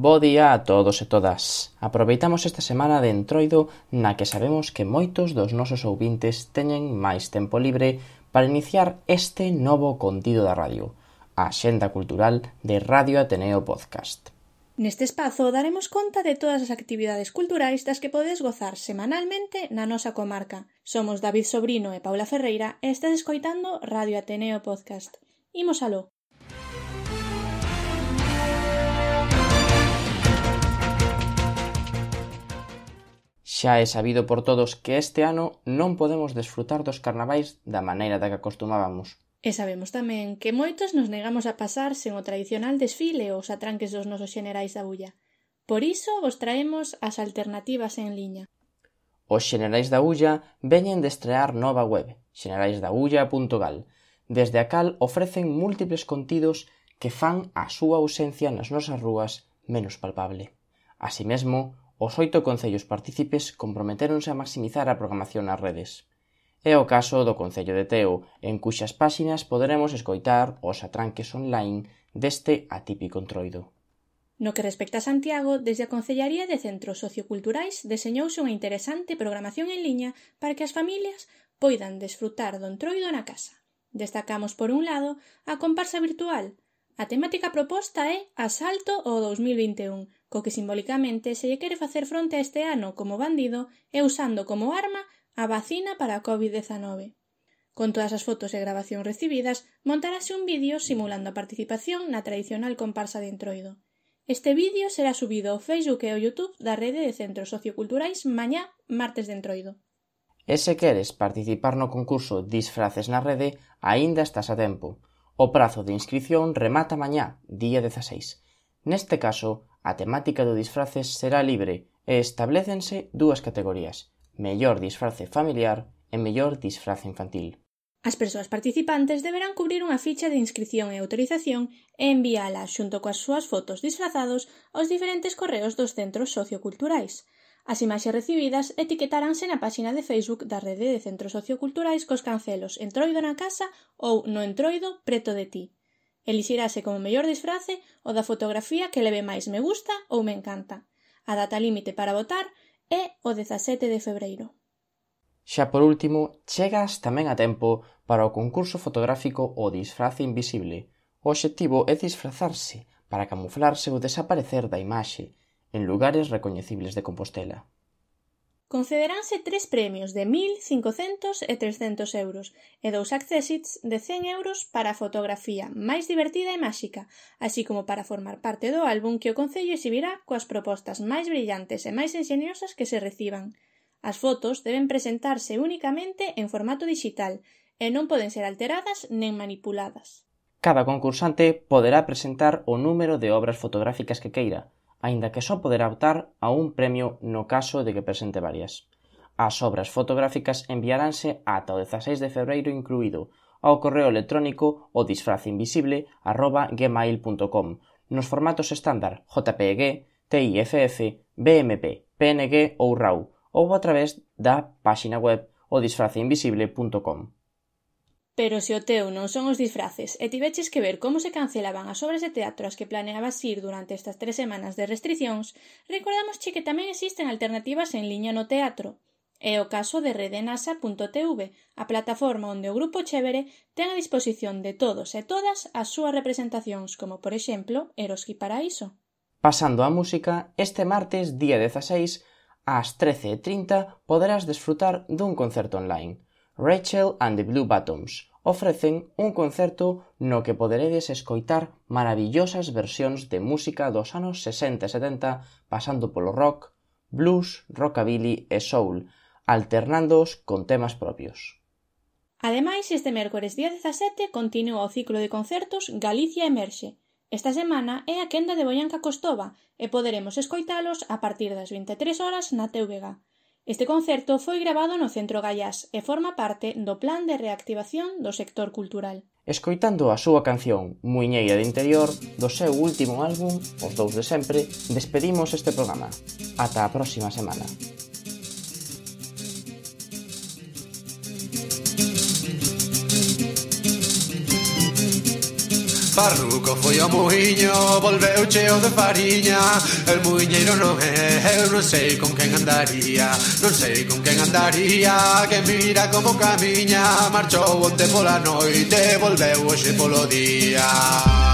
Bo día a todos e todas. Aproveitamos esta semana de Entroido na que sabemos que moitos dos nosos ouvintes teñen máis tempo libre para iniciar este novo contido da radio, a Axenda Cultural de Radio Ateneo Podcast. Neste espazo daremos conta de todas as actividades culturais das que podes gozar semanalmente na nosa comarca. Somos David Sobrino e Paula Ferreira e estás escoitando Radio Ateneo Podcast. Imos aló. Xa é sabido por todos que este ano non podemos desfrutar dos carnavais da maneira da que acostumábamos. E sabemos tamén que moitos nos negamos a pasar sen o tradicional desfile ou os atranques dos nosos xenerais da Bulla. Por iso vos traemos as alternativas en liña. Os xenerais da Bulla veñen de estrear nova web, xeneraisdaulla.gal, desde a cal ofrecen múltiples contidos que fan a súa ausencia nas nosas rúas menos palpable. Así mesmo, os 8 concellos partícipes comprometéronse a maximizar a programación nas redes. É o caso do Concello de Teo, en cuxas páxinas poderemos escoitar os atranques online deste atípico Entroido. No que respecta a Santiago, desde a Concellaría de Centros Socioculturais deseñouse unha interesante programación en liña para que as familias poidan desfrutar do Entroido na casa. Destacamos, por un lado, a comparsa virtual. A temática proposta é Asalto ao 2021, co que simbólicamente se lle quere facer fronte a este ano como bandido e usando como arma a vacina para a COVID-19. Con todas as fotos e grabacións recibidas, montarase un vídeo simulando a participación na tradicional comparsa de Entroido. Este vídeo será subido ao Facebook e ao YouTube da Rede de Centros Socioculturais mañá, martes de Entroido. E se queres participar no concurso Disfraces na Rede, aínda estás a tempo. O prazo de inscrición remata mañá, día 16. Neste caso, a temática do disfraces será libre e establécense dúas categorías: mellor disfrace familiar e mellor disfrace infantil. As persoas participantes deberán cubrir unha ficha de inscrición e autorización e enviala xunto coas súas fotos disfrazados aos diferentes correos dos centros socioculturais. As imaxes recibidas etiquetaránse na páxina de Facebook da Rede de Centros Socioculturais cos cancelos Entroido na casa ou No Entroido preto de ti. Elixirase como mellor disfrace o da fotografía que leve máis me gusta ou me encanta. A data límite para votar é o 17 de febreiro. Xa por último, chegas tamén a tempo para o concurso fotográfico O Disfrace Invisible. O obxectivo é disfrazarse para camuflarse ou desaparecer da imaxe en lugares recoñecibles de Compostela. Concederánse 3 premios de 1.000, 500 e 300 euros e 2 accessits de 100 euros para a fotografía máis divertida e máxica, así como para formar parte do álbum que o Concello exhibirá coas propostas máis brillantes e máis enxeniosas que se reciban. As fotos deben presentarse únicamente en formato digital e non poden ser alteradas nen manipuladas. Cada concursante poderá presentar o número de obras fotográficas que queira, aínda que só poderá optar a un premio no caso de que presente varias. As obras fotográficas enviaránse ata o 16 de febreiro incluído ao correo electrónico odisfrazeinvisible@gmail.com nos formatos estándar JPG, TIFF, BMP, PNG ou RAW ou a través da páxina web odisfrazeinvisible.com. Pero se o teu non son os disfraces e tiveches que ver como se cancelaban as obras de teatro as que planeabas ir durante estas 3 semanas de restricións, recordamosche que tamén existen alternativas en liña no teatro. É o caso de redenasa.tv, a plataforma onde o Grupo Chévere ten a disposición de todos e todas as súas representacións, como por exemplo Eroski Paraíso. Pasando á música, este martes, día 16, ás 13:30 poderás desfrutar dun concerto online. Rachel and the Blue Bottoms ofrecen un concerto no que poderedes escoitar maravillosas versións de música dos anos 60 e 70 pasando polo rock, blues, rockabilly e soul, alternándoos con temas propios. Ademais, este mércores día 17 continúa o ciclo de concertos Galicia Emerxe. Esta semana é a quenda de Boianca Costova e poderemos escoitalos a partir das 23 horas na TVG. Este concerto foi gravado no Centro Gaiás e forma parte do plan de reactivación do sector cultural. Escoitando a súa canción Muiñeira de Interior do seu último álbum, Os Dous de Sempre, despedimos este programa. Ata a próxima semana. Farruco foi ao muiño, volveu cheo de fariña. El muiñeiro non é, eu non sei con quen andaría. Non sei con quen andaría, que mira como camiña. Marchou onte pola noite, volveu hoxe polo día.